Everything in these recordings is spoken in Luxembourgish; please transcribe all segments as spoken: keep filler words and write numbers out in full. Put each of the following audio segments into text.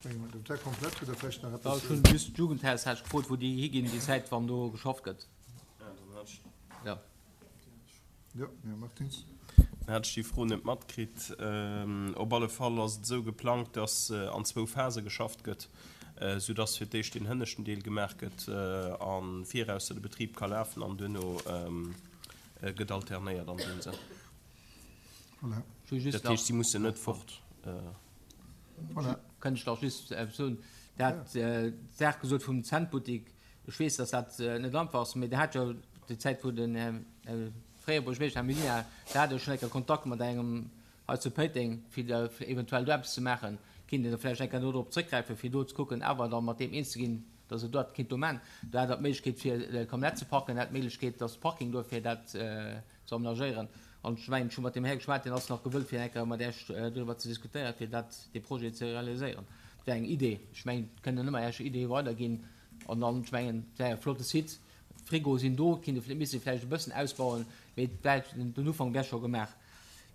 Hutt Der komplett oder vläicht nach eppes? Ech hunn just d'Jugendhaus hat ech gefrot, wou déi higinn déi Zäit, wann do geschafft gëtt. Jo. Jo, Här Martins. Dann hat ech déi Fro net matkritt. Op alle Fall ass et esou geplangt, dass an zwou Phase geschafft gëtt, soudass fir d'éischt deen hënneschten Deel gemaach gëtt a viraus de Betrib ka lafen an duerno gëtt alternéiert an deem Sënn. Voilà. Dat heescht, si mussen net fort. Voilà. Kënnt ech nach just eppes soen? Der hat d'Saach gesot vum Zentbuttik. Ech weess, dass dat net einfach ass, mee Der hat jo déi Zäit, wou den Här fréiere Buergermeeschter, Här Mellina, der hat jo schonn eng Kéier Kontakt mat engem hei zu Péiteng, fir da eventuell do eppes ze maachen. Kinnt een da vläicht eng Kéier do drop zrëckgräifen, fir do ze kucken, awer da mat deem eens ze ginn, dass e dat kinnt do maachen. Do hat Der d'Méiglechkeet, fir Camionnette ze parken, Der hat d'Méiglechkeet, dass de Parking do fir dat ze amenagéieren. An ech mengen, ech hu mat deem Här geschwat, deen ass nach gewëllt, fir eng Kéier mat Iech doriwwer ze diskutéieren, fir dat, dee Projet ze realiséieren. Dat wär eng Idee. Ech mengen, et kënnen ëmmer Iech Ideeë weiderginn. An dann, ech mengen, et wär e flotte Site. D'Frigoe sinn do, et kinnt ee misste vläicht e bëssen ausbauen, mee et wär, den Ufank wär scho gemaach.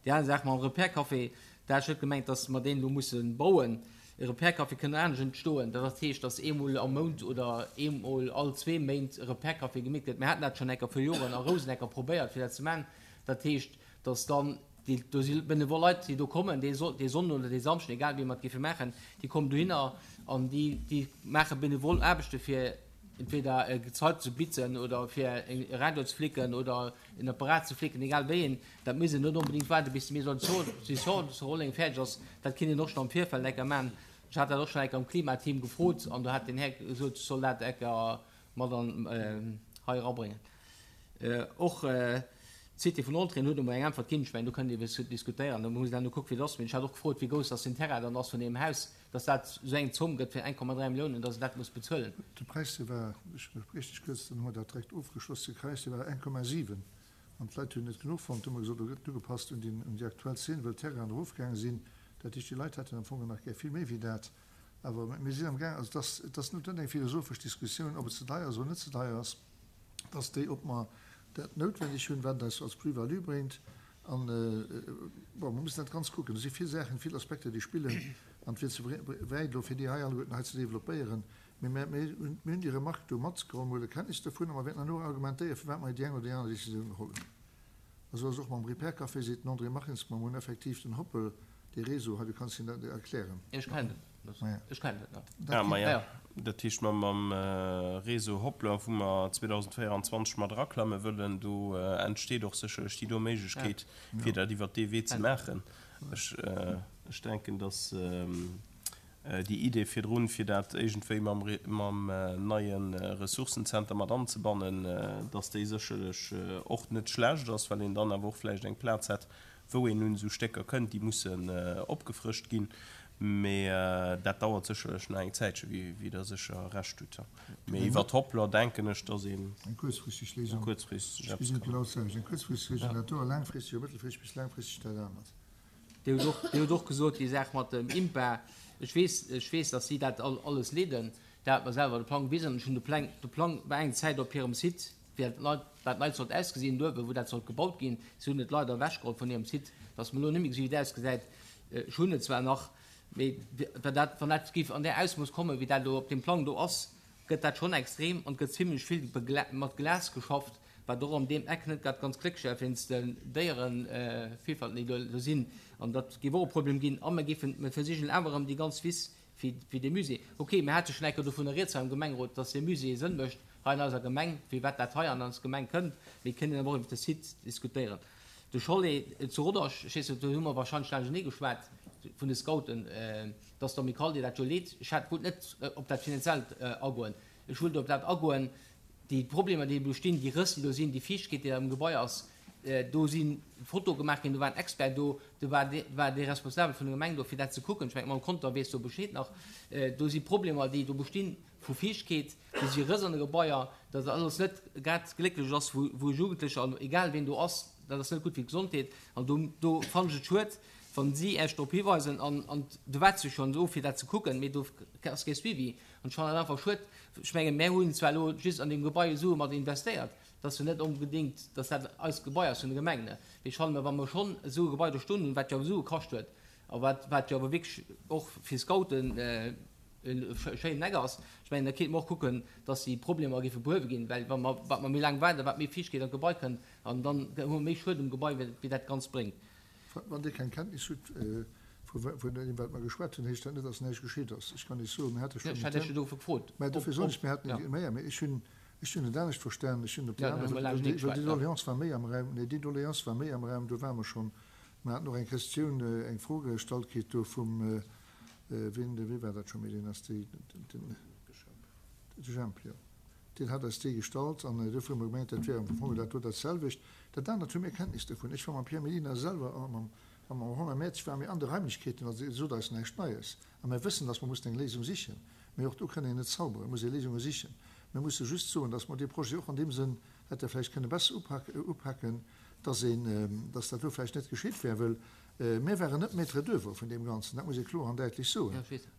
Déi aner Saach mam Repair-Café, da hat ech net gemengt, dass mer deen elo musse bauen. E Repair-Café kënnt anescht entstoen. Dat heescht, dass eemol am Mount oder eemol all zwee Méint e Repair-Café gemeet gëtt. Mir haten dat schonn eng Kéier vir Joren a Rousenecker probéiert, fir dat ze maachen. Dat heescht, dass dann déi, do si benevol Leit, déi do kommen, dee dee Sonnden oder dee Samschden, egal wéi mer et géife maachen, déi kommen dohinner an déi, déi maache benevol Aarbechte fir entweder e Gezei ze bitzen oder fir e Radio ze flicken oder en Apparat ze flicken, egal wéi een. Dat muss een net onbedéngt waarden, bis de Maison de zu Rolleng fäerdeg ass. Dat kinnt een och schonn am Virfeld enker maachen. Ech hat dat och schonn enker am Klimateam gefrot an do hat den Här gesot, ech soll dat enker mat an hei erabréngen. Och d'Cité vun Olteren huet emol eng Äntwert ginn. Ech mengen, do kënnt ee bis diskutéieren, do muss een dann kucken, wéi et ass. Mee ech hat och gefrot, wéi grouss dass den Terrain dann ass vun deem Haus, dass dat esou eng Zomm gëtt fir eng Komma dräi Milliounen, dass een dat muss bezuelen. De Präis, dee war, ech hunn et richteg gëss, dann hu mer dat direkt ofgeschloss, de Präis, dee war eng Komma siwen. An d'Leit hunn net genuch fonnt. Du hu mer gesot, do gëtt ugepasst un déi, un déi aktuell Zeen, well d'Terrainen erofgaange sinn. Dat heescht, déi Leit hätten am Fong nach gär vill méi wéi dat. Awer mir sinn amgaang, also et ass, et ass net eng philosophesch Diskussioun, ob et ze deier ass oder net ze deier ass. Et ass déi, ob mer dat noutwendeg hunn, wat et eis als Plus-value bréngt. An, bon, mer mussen dat ganz kucken. Do si vill Saachen, vill Aspekter, déi spillen. An et wier ze wäit elo, fir déi hei alleguerten hei ze developpéieren. Mee mir hunn, mir hunn déi Remarque do matgeholl, mir huele Kenntnis dovun a mer wäerten herno argumentéieren, firwat mer déi eng oder déi aner Décisioun geholl hunn. A sou ass et och mam Repair Café, seet den André Martins. Mer hunn effektiv den Hoppel, dee Réseau hei, du kanns hien dat erklären. Ech kennen dat, ech kennen dat nach. Ah, maja, dat heescht mer mam Réseau Hoplr, wou mer zweedausendvéieranzwanzeg mat eraklamme wëllen, do entsteet och sécherlech déi do Méiglechkeet, fir dat iwwert dee Wee ze maachen. Ech, ech denken, dass déi Idee virdrun, fir dat iergendwéi mam, mam neie Ressourcenzenter mat anzebannen, dass déi sécherlech och net schlecht ass, well een dann awer och vläicht eng Plaz hätt, wou een un esou Stécker kënnt, déi mussen opgefrëscht ginn. Mee dat dauert sécherlech nach eng Zäitche, wéi Der sécher Recht hutt. Mee iwwert Hoplr denken ech, dass een Eng kuerzfristeg Léisung. kuerzfristeg Ech eppes gesinn et kann. genau d'selwecht. Eng kuerzfristeg Léisung dat do a laangfristeg oder mëttelfristeg bis laangfristeg dat anert. Dir hutt och, Dir hutt och gesot, déi Saach mat dem IMPA. Ech weess, ech weess, dass si dat alles leeden. Der hat mer selwer de Plang gewisen. Ech hunn de Plang, de Plang war eng Zäit op hirem Site, wéi dat neit, dat neit sollt ausgesinn, do uewen, wou dat sollt gebaut ginn. Si hunn et leider ewechgeholl vun hirem Site, dass mer elo net méi gesi wéi et ausgesäit. Ech hunn et zwar nach, mee wann dat, wann dat géif an där Ausmooss kommen, wéi dat elo op deem Plang do ass, gëtt dat schonn extrem an et gëtt zimlech vill mat Glas geschafft, wat och an deem Eck net grad ganz glécklech ass, wéinst den Déierevielfalt, déi do sinn. An dat géif och e Problem ginn. A mer géifen, mer versichen awer erëm déi ganz Wiss fir, fir dee Musée. Okay, mir hate schonn eng Kéier dovunner rieds hei am Gemengerot, dass dee Musée Sënn mécht hei an eiser Gemeng, firwat dat hei an eis Gemeng kënnt. Mir kënnen awer och iwwer de Site diskutéieren. De Chalet zu Rodange, ech weess net, do hu mer wahrscheinlech laanschtenee geschwat vun de Scouten, dass d'Amicale déi dat jo leet. Ech hat, wollt net op dat Finanziellt agoen. Ech wollt op dat agoen, déi Problemer, déi do stinn, déi Rëss, déi do sinn, déi Fiichtegkeet, déi am Gebai ass. Do si Fotoe gemaach ginn, do war en Expert do, do war dee, war dee Responsabel vun der Gemeng do, fir dat ze kucken. Ech mengen, d'Madame Conter weess do Bescheed nach. Do si Problemer, déi do bestinn vu Fiichtegkeet, do si Rëss an de Gebaier, dat alles net grad glécklech ass, wou, wou Jugendlecher an egal ween do ass, dat ass net gutt fir d'Gesondheet. An do, do fannen ech et schued, wa si Iech drop hiweisen an, an do waart se schonn do, fir dat ze kucken, mee do ass kee Suivi. An ech fannen dat einfach schued. Ech mengen, mär hunn zwar elo just an deem Gebai Sue mat investéiert, dass jo net onbedéngt, dass dat eist Gebai ass vun der Gemeng, ne? Mee ech fannen, wa mer schonn esou e Gebai do stoen hunn, wat jo awer Sue kascht huet a wat, wat jo awer wierklech och fir Scouten e schéinen Eck ass. Ech mengen, da kéinte mer och kucken, dass déi Problemer géife behuewe ginn, well wa mer, wat mer méi laang waarden, wat méi Fiichtkeet an d'Gebai kënnt, an dann hu mer méi Schued um Gebai, wéi dat Ganzt bréngt. Wann Dir keng Kenntnis hutt vun deem, wat mer geschwat hunn, heescht dat net, dass näischt geschitt ass. Ech kann Iech soen, mir hate schonn. Ech hat Iech jo dofir gefrot. Mä dofir soen ech, mir haten, mä jo, mä ech hunn, ech hunn et anescht verstanen. Ech hunn op déi aner, well déi Doléance war méi am Raum, nee, déi Doléance war méi am Raum, do ware mer schonn. Mer haten och eng Questioun, eng Fro gestallt kritt do vum, wien, wee war dat scho méi, deen ass déi, den, de Jemp, jo. Deen hat eis déi gestallt an dofir hu mer gemengt, dat wär am Fong dat do dat selwecht. Dat anert hu mir Kenntnis dovun. Ech war mam Pierre Mellina selwer a mam, a mam Romain Mertz ware mir an de Raimlechkeeten, also et sot eis näischt Neies. A mir wëssen, datt mer mussen eng Léisung sichen. Mee och do kënn een net zauberen, et muss ee Léisunge sichen. Mir musse just soen, datt mer dee Projet och an deem Sënn hätte vläicht kënne besser upaken, datt een, datt dat do vläicht net geschitt wär, wëll mir waren net Maître d'oeuvre vun deem Ganzen, dat muss ee kloer an däitlech soen.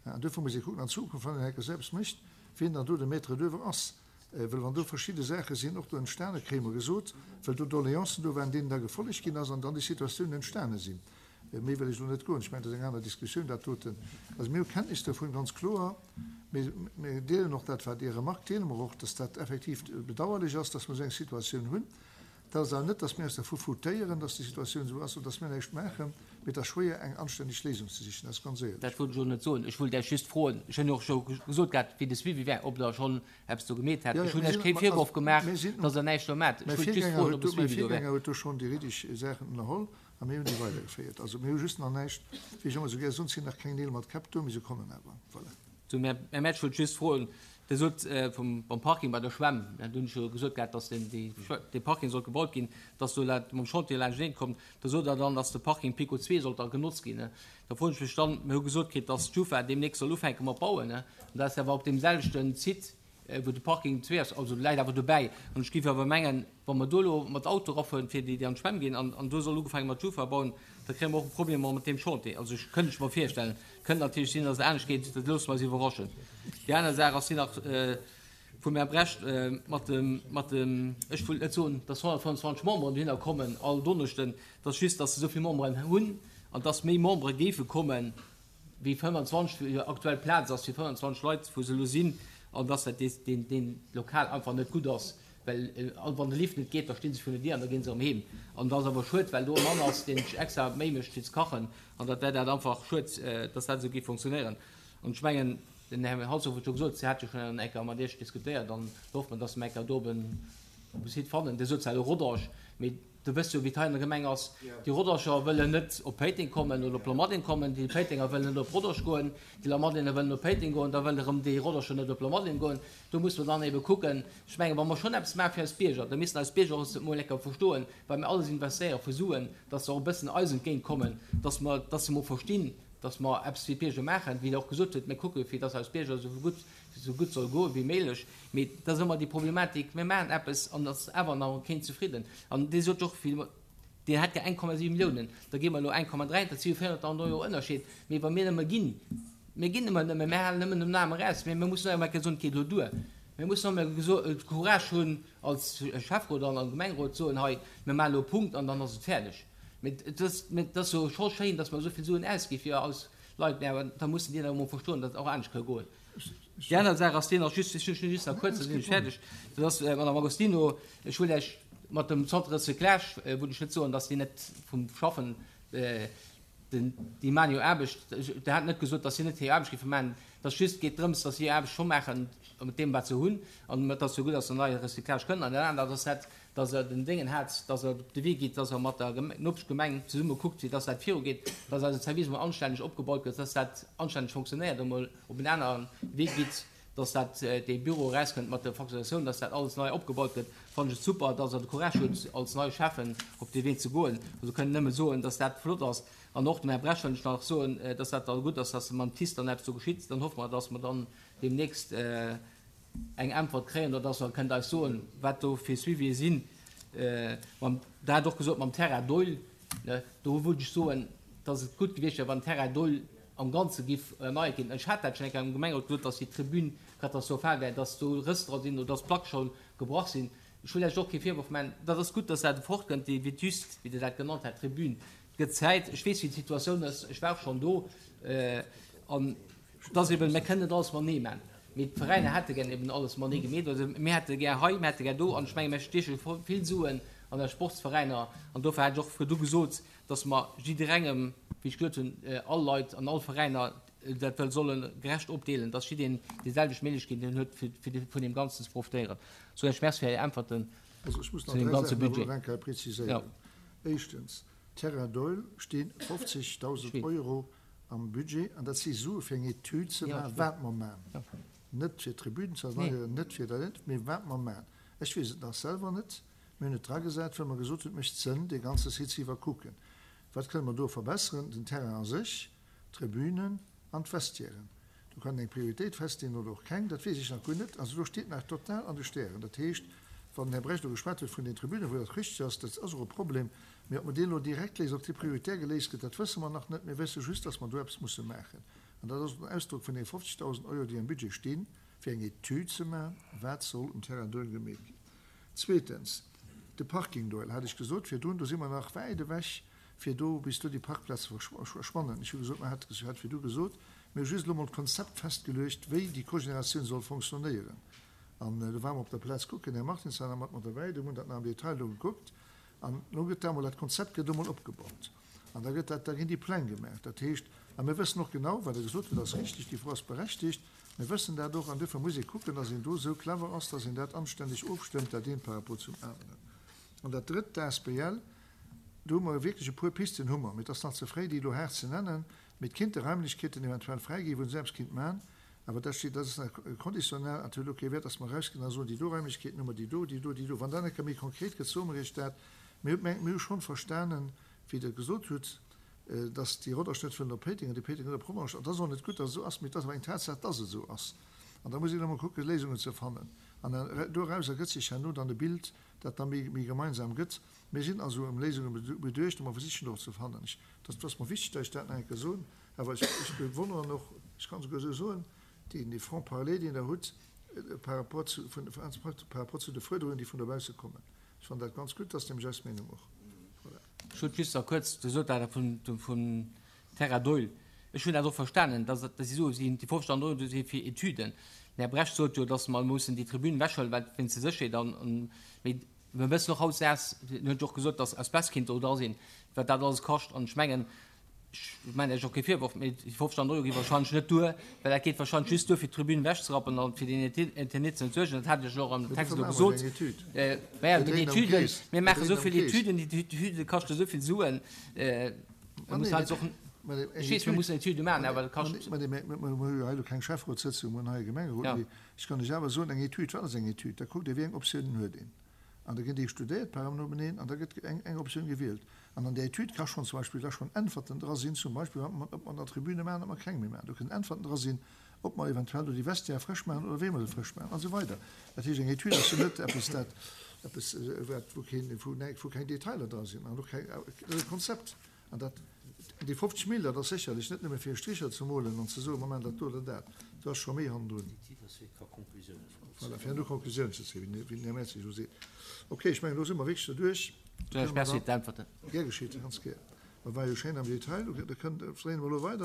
An dofir muss ee kucken an Zukunft, wann een Hacker selbst mécht, wien dann do de Maître d'oeuvre ass. Wëll wann do verschidde Saache sinn och do entstane, kréie mer gesot, well do Doleancen do waren, deenen da gefollegt ginn ass an dann déi Situatiounen entstane sinn. Méi wëll ech elo net goen. Ech mengen, dat ass eng aner Diskussioun, dat doten. Also mir hu Kenntnis dovun, ganz kloer. Mee mir deelen och dat, wat Är Remark deele mer och, dass dat effektiv bedauerlech ass, dass mer esou eng Situatioun hunn. Dat ass awer net, dass mir eis dervu foutéieren, dass déi Situatioun esou ass oder dass mir näischt maachen, mee et ass schwéier, eng anstänneg Léisung ze sichen, dat ass ganz éierlech. Dat wollt ech och net soen. Ech wollt Iech just froen, ech hunn och scho gesot gehat, wéi de Suivi wär, ob Der schonn eppes do gemeet hätt. Ech hunn Iech kee Virworf gemaach, dass Der näischt do maacht. Mäi Ech wollt just Virgänger froen, ob huet e do, mäi Suivi do wär. Virgänger huet do schonn déi richteg Saachen ënnerholl a mir hunn déi weidergeféiert. Also mir hu just nach näischt, wéi ech ëmmer esou gär soen, et sinn nach keng Neel mat Käpp do, mee se kommen awer. Voilà. Zum Här Mertsch wollt ech just froen, Dir sot vum beim Parking bei der Schwämm, do hunn ech jo gesot gehat, dass deen dee Parking sollt gebaut ginn, dass do dat mam Chantier laanschteneen kommt. Da sot Der dann, dass de Parking Pico zwee sollt da genotzt ginn. Da froen ech mech dann, mir hu gesot kritt, dass d'Schufa deemnächst soll ufänke mat bauen, an dat ass awer op deem selwechten Site, wou de Parking zwee ass, also läit awer dobäi. An ech géif awer mengen, wa mer do elo mat Auto erafueren, fir déi, déi an d'Schwämm ginn, an, an do soll ugefaange mat Schufa bauen, da kréie mer och e Problem mat deem Chantier. Also ech kënnt ech mer virstellen. Kënnt natierlech sinn, datt et anescht geet, dat loosse mer eis iwwerraschen. Déi aner Saach ass déi nach vum Här Brecht mat dem, mat dem, ech wëll net soen, datt honnertfënnefenzwanzeg Memberen dohinner kommen all Donneschden, et ass just, datt se esou vill Memberen hunn an datt méi Membere géife kommen, wéi fënnwanzwanzeg, wéi aktuell Plaz ass fir fënnwanzwanzeg Leit, wou se elo sinn, an dass dat deen, deen Lokal einfach net gutt ass, well wann de Lift net geet, da sti se virun der Dier an da gi se erëm heem. An dat ass awer schued, well do e Mann ass, deen sech extra Méi mécht fir ze kachen, an dat wär dat einfach schued, dass dat esou géif funktionéieren. An ech mengen, den Här Halsdorf huet jo gesot, si hat jo schonn eng Kéier mat Iech diskutéiert, an da hoffe mer, dass mer eng Kéier do op e Site fannen. Dir sot zwar elo Rodange, mee Du wëss jo, wéi et hei an der Gemeng ass. Déi Rodanger wëllen net op Péiteng kommen oder op Lamadelaine kommen, déi Péitenger wëllen net op Rodange goen, déi Lamadelainer wëllen op Péiteng goen, da wëll erëm déi Rodanger net op Lamadelaine goen. Do musse mer dann ebe kucken. Ech mengen, wa mer schonn eppes maache fir eis Bierger, da missten eis Bierger och emol eng Kéier verstoen, well mir alles investéiere vu Suen, dass se och e bëssen eis entgéint kommen, dass mer, dass se emol verstinn, dass mer eppes fir d'Bierger maachen, wéi Der och gesot hutt, mir kucke fir dass eis Bierger esou gutt esou gutt soll goe wéi méiglech. Mee dat ass ëmmer déi Problematik, mir maachen eppes an et ass awer nach keen zefridden. An dee sot och, deen hätt gär eng Komma siwe Milliounen, da gi mer elo eng Komma dräi, dat si jo véierhonnertdausend Euro Ënnerscheed. Mee wa mir nëmme ginn, mir ginn ëmmer nëmme, mir halen nëmmen den Aarm eraus, mee mir mussen och eng Kéier soen, et geet elo duer. Mir mussen och emol de Courage hunn als Schäfferot an als Gemengerot ze soen, hei, mir maachen elo e Punkt an dann ass et fäerdeg. Mee et ass, mee et ass jo scho schéin, datt mer esou vill Suen ausgi fir eis Leit, mee awer da mussen déi awer emol verstoen, datt et och anescht ka goen. Déi aner Saach ass déi nach just, ech hunn just nach kuerz, da sinn ech fäerdeg, dat ass, Madame Agostino, ech wëll Iech mat dem Centre de recyclage, wëll ech net soen, datt déi net vum Schaffen, den, déi maachen jo Aarbecht, Der hat net gesot, datt si net hir Aarbecht géife maachen, et ass just, geet drëms, datt si hir Aarbecht scho maachen mat deem, wat se hunn, an et ass jo gutt, datt se nei Recyclage kënnen. An dat anert ass dat, datt Der den Déngen hat, datt Der op de Wee gitt, datt Der mat der Nopeschgemeng zesumme kuckt, fir datt dat virugeet, datt eise Service emol anstänneg opgebaut gëtt, datt dat anstänneg fonctionnéiert, emol op en anere Wee gitt, datt dat dee Büro erauskënnt mat der Facturatioun, datt dat alles nei opgebaut gëtt, fannen ech et super, datt Der de Courage hutt, als neie Schäffen op dee Wee ze goen. Also kënnen nëmme soen, datt dat flott ass. An och dem Här Bresch wëll ech nach soen, datt dat da gutt ass, datt mam TICE dann eppes do geschitt. Dann hoffe mer, datt mer dann deemnächst eng Äntwert kréien oder dass Der kënnt eis soen, wat do fir Suivië sinn. Mam, Der hat och gesot mam Terrain Doihl, ne, do wollt ech soen, dass et gutt gewiescht wär, wann den Terrain Doihl am Ganze giff erneiert ginn. Ech hat dat schonn eng Kéier am Gemengerot gesot, dass déi Tribün katastrophal wär, dass do Rëss dra sinn oder dass d'Placke scho gebrach sinn. Ech wëll lech och kee Virworf maachen. Dat ass gutt, dass dat fortkënnt, déi Vétuste, wéi Der dat genannt hat, Tribün. Et gëtt Zäit. Ech weess, wéi d'Situatioun ass. Ech war och schonn do an. Das eben, mir kënnen net alles matenee maachen. Mee d'Veräiner hätte gär eben alles matenee gemeet. Also mir hätte gär hei, mir hätte gär do. An ech menge mir stieche vill Suen an eis Sportsveräiner. An dofir hat ech och virdu gesot, dass mer jidderengem, wéi ech gesot hunn, all Leit an all Veräiner dat wëll solle gerecht opdeelen, dass jiddereen déi selwecht Méiglechkeeten huet, fir vun deem Ganzen ze profitéieren. Soen ech Merci fir Är Äntwerten Also ech muss zu nach deem dräi ganze Saachen awer Budget. nach eng Kéier preziséieren. Éischtens, Terrain Doihl sti fofzegdausend Euro am Budget, an dat si Sue fir eng Etüd ze maachen, wat mer maachen. Net fir d'Tribünen ze erneieren, net fir dat, mee wat mer maachen. Ech weess et nach selwer net. Mir hunn et dragesat, well mer gesot hunn, et mécht Sënn, dee ganze Site ze iwwerkucken. Wat kënne mer do verbesseren? Den Terrain a sech, d'Tribünen an d'Vestiairen. Do kann een eng Prioritéit festleeën oder och keng, dat weess ech nach guer net. Also do steet nach total an de Stären. Dat heescht, wann den Här Brecht elo geschwat huet vun den Tribünen, wou dat richteg ass, dat ass och e Problem, mee ob mer deen elo direkt léisen, ob dee prioritär geléist gëtt, dat wësse mer nach net. Mir wësse just, dass mer do eppes musse maachen. An dat ass och den Ausdrock vun deene fofzegdausend Euro, déi am Budget stinn, fir eng Etüd ze maachen, wat soll um Terrain Doihl gemeet ginn. Zweetens, de Parking Doihl, hat ech gesot virdrun, do si mer nach wäit ewech, fir do, bis do déi Parkplaze verschwannen. Ech hu gesot, mer hat, ech hat virdu gesot, mir hu just elo mol d'Konzept festgeluecht, wéi déi Cogénératioun soll fonctionnéieren. An do ware mer op der Plaz kucken, den Här Martins war nach mat mer derbäi, do hunn dat nach am Detail do gekuckt. An elo gëtt da emol dat Konzept gëtt emol opgebaut. An da gëtt dat, da ginn déi Pläng gemaach. Dat heescht, a mir wëssen och genau, wat Der gesot hutt, ass richtig, déi Fro ass berechtigt, mir wëssen dat och, an duerfir muss ee kucken, dass een do esou clever ass, dass een dat anständeg ofstëmmt, dat eent par rapport zum aneren. An dat Drëtt, d'Asbl, do hu mer wierklech e puer Pisten hu mer, mee et ass nach ze fréi, déi elo haart ze nennen, mee et kéinte Raimlechkeeten eventuell fräi ginn, wou een esou eppes kéint maachen. Awer dat steet, dat ass nach conditionnel an et huet elo kee Wäert, dass mer erausginn a soen, déi do Raimlechkeeten hu mer, déi do, déi do, déi do. Wann dat eng Kéier méi konkret gëtt, soe mer Iech dat. Mir hu mir hu schonn verstanen, wéi Der gesot hutt, dass déi Rodange net wëllen op Péiteng an déi Péitenger net op Rodange. An dat ass och net gutt, dass et esou ass, mee et ass awer eng Tatsaach, dass et esou ass. An da muss een ëmmer kucken, Léisungen ze fannen. An doraus ergëtt sech herno dann e Bild, dat da méi, méi gemeinsam gëtt. Mir sinn also ëm Léisunge beduecht a mer versichen der och ze fannen. Ech, dat ass mer wichteg, datt ech dat nach eng Kéier soen. Awer ech, ech bewonneren och, ech kann esouguer esou soen, deen, dee Franc-parler, deen Der hutt par rapport zu, vun, par rapport zu de Fuerderungen, déi vun dobausse kommen. Ech fannen dat ganz gutt, dat ass nämlech eis Meenung och. Voilà. Ech wollt just nach kuerz, Dir sot dat vun, vun Terra Doihl. Ech hunn dat och verstanen, dass, dass si soe sinn, déi fofzegdausend Euro do si fir Etüden. Den Här Brecht sot jo, dass mer mussen déi Tribün ewechhuelen, well wéinst der Sécherheet an, an, mee mir wëssen och hautdesdaags, en huet jo och gesot, dass Asbest kéint do dra sinn, wat dat alles kascht. An ech mengen, ech maachen Iech och kee Virworf, mee déi fofzegdausend Euro gi wahrscheinlech net duer, well dat geet wahrscheinlech just duer, fir d'Tribün ewechzerappen an fir den Internet ze entsuergen. Dat hat ech och am Text elo gesot. Mä jo, mee déi Etüden, mir maachen esou vill Etüden, déi Etüde kaschte esou vill Suen. Mir mussen eis och, ech weess, mir mussen Etüde maachen, awer dat kascht. Mä mir hu jo hei elo keng Schäfferotssëtzung, mir hunn hei e Gemengerot. Mee ech kann lech awer soen, eng Etüd, wat ass eng Etüd? Da kuckt ee, wéi eng Optiounen huet een. An da ginn déi studéiert par nobeneen an da gëtt eng, eng Optioun gewielt. An an där Etüd ka schonn zum Beispill da schonn Äntwerten dra sinn, zum Beispill wat mer, ob mer der Tribüne maachen, ob mer keng méi maachen. Do kënnen Äntwerten dra sinn, ob mer eventuell do déi Vestiaire frësch maachen oder wéi mer se frësch maachen an esou weider. Dat heescht, eng Etüd ass jo net eppes, dat eppes, wat, wou keen, wou näi, wou keng Detailer dra sinn an och keng, dat ass e Konzept. An dat, déi fofzeg Mille, dat ass sécherlech net nëmme fir e Stricher ze molen an ze soen, mer maachen dat do oder dat. Do ass scho méi hannendrun. Voilà, fir herno Konklusiounen ze zéien, wéi den Här Mertzig elo seet. Okay, ech mengen, elo si mer wierklech derduerch. Ech merci fir d'Äntwerten. Gär geschitt, ganz gär. Mer ware jo schéin am Detail. Da kënnt, dréine mer elo weider.